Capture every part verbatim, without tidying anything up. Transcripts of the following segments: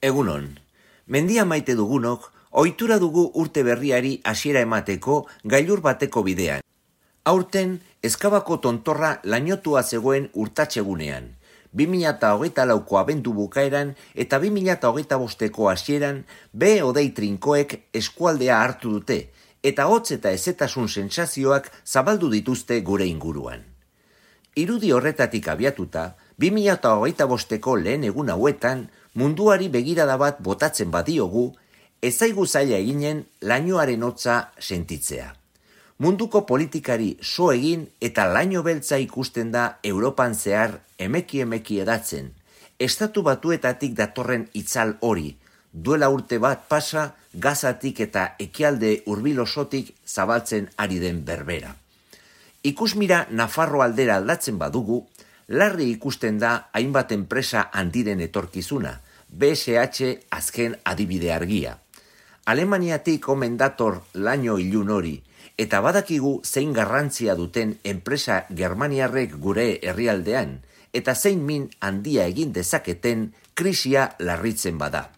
Egunon, mendia maite dugunok, ohitura dugu urte berriari hasiera emateko gailur bateko bidean. Aurten, Ezkabako tontorra lainotua zegoen urtatsegunean, bi mila hogeita lauko abendu bukaeran eta bi mila hogeita bosteko hasieran be hodei trinkoek eskualdea hartu dute, eta hotz eta hezetasun sentsazioak zabaldu dituzte gure inguruan. Irudi horretatik abiatuta, bi mila hogeita bosteko lehen egun hauetan, munduari begirada bat botatzen badiogu, ez zaigu zaila eginen lainoaren hotza sentitzea. Munduko politikari so egin eta laino beltza ikusten da Europan zehar emeki-emeki edatzen. Estatu Batuetatik datorren itzal hori, duela urte bat pasa, Gazatik eta ekialde hurbil osotik zabaltzen ari den berbera. Ikusmira Nafarro aldera aldatzen badugu, larri ikusten da hainbat enpresa handiren etorkizuna, be ese hache azken adibide argia. Alemaniatik omen dator laino ilun hori, eta badakigu zein garrantzia duten enpresa germaniarrek gure herrialdean, eta zein min handia egin dezaketen krisia larritzen bada.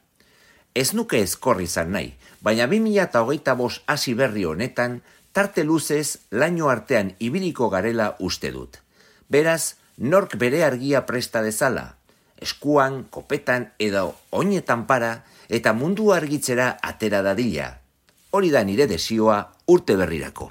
Ez nuke ezkorri izan nahi, baina bi mila hogeita bost hasi berri honetan, tarte luzez laino artean ibiliko garela uste dut. Beraz, nork bere argia presta dezala, eskuan, kopetan edo oinetan para eta mundu argitzera atera dadila. Hori da nire desioa urte berrirako.